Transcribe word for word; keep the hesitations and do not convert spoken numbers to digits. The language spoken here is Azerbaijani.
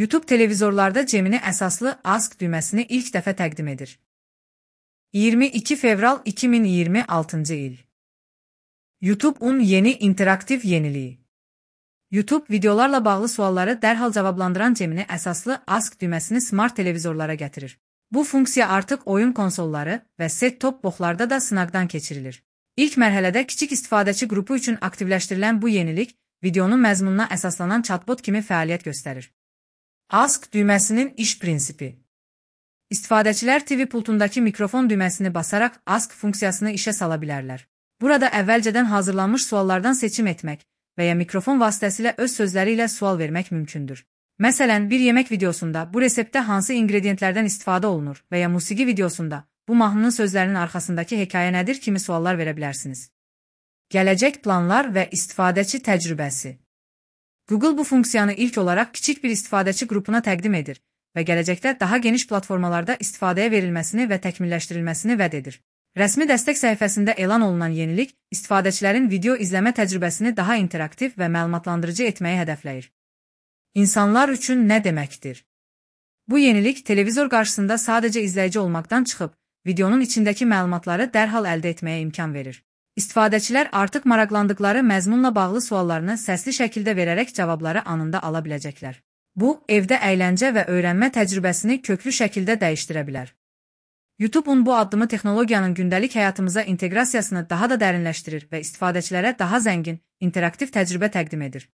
YouTube televizorlarda Gemini əsaslı Ask düyməsini ilk dəfə təqdim edir. iyirmi iki fevral iki min iyirmi altıncı il. YouTube'un yeni interaktiv yeniliyi. YouTube videolarla bağlı sualları dərhal cavablandıran Gemini əsaslı Ask düyməsini smart televizorlara gətirir. Bu funksiya artıq oyun konsolları və set-top boxlarda da sınaqdan keçirilir. İlk mərhələdə kiçik istifadəçi qrupu üçün aktivləşdirilən bu yenilik videonun məzmununa əsaslanan chatbot kimi fəaliyyət göstərir. Ask düyməsinin iş prinsipi. İstifadəçilər T V pultundakı mikrofon düyməsini basaraq Ask funksiyasını işə sala bilərlər. Burada əvvəlcədən hazırlanmış suallardan seçim etmək və ya mikrofon vasitəsilə öz sözləri ilə sual vermək mümkündür. Məsələn, bir yemək videosunda bu reseptdə hansı ingredientlərdən istifadə olunur və ya musiqi videosunda bu mahnının sözlərinin arxasındakı hekayə nədir kimi suallar verə bilərsiniz. Gələcək planlar və istifadəçi təcrübəsi. Google bu funksiyanı ilk olaraq kiçik bir istifadəçi qrupuna təqdim edir və gələcəkdə daha geniş platformalarda istifadəyə verilməsini və təkmilləşdirilməsini vəd edir. Rəsmi dəstək səhifəsində elan olunan yenilik istifadəçilərin video izləmə təcrübəsini daha interaktiv və məlumatlandırıcı etməyi hədəfləyir. İnsanlar üçün nə deməkdir? Bu yenilik televizor qarşısında sadəcə izləyici olmaqdan çıxıb, videonun içindəki məlumatları dərhal əldə etməyə imkan verir. İstifadəçilər artıq maraqlandıqları məzmunla bağlı suallarını səsli şəkildə verərək cavabları anında ala biləcəklər. Bu, evdə əyləncə və öyrənmə təcrübəsini köklü şəkildə dəyişdirə bilər. YouTube'un bu addımı texnologiyanın gündəlik həyatımıza inteqrasiyasını daha da dərinləşdirir və istifadəçilərə daha zəngin, interaktiv təcrübə təqdim edir.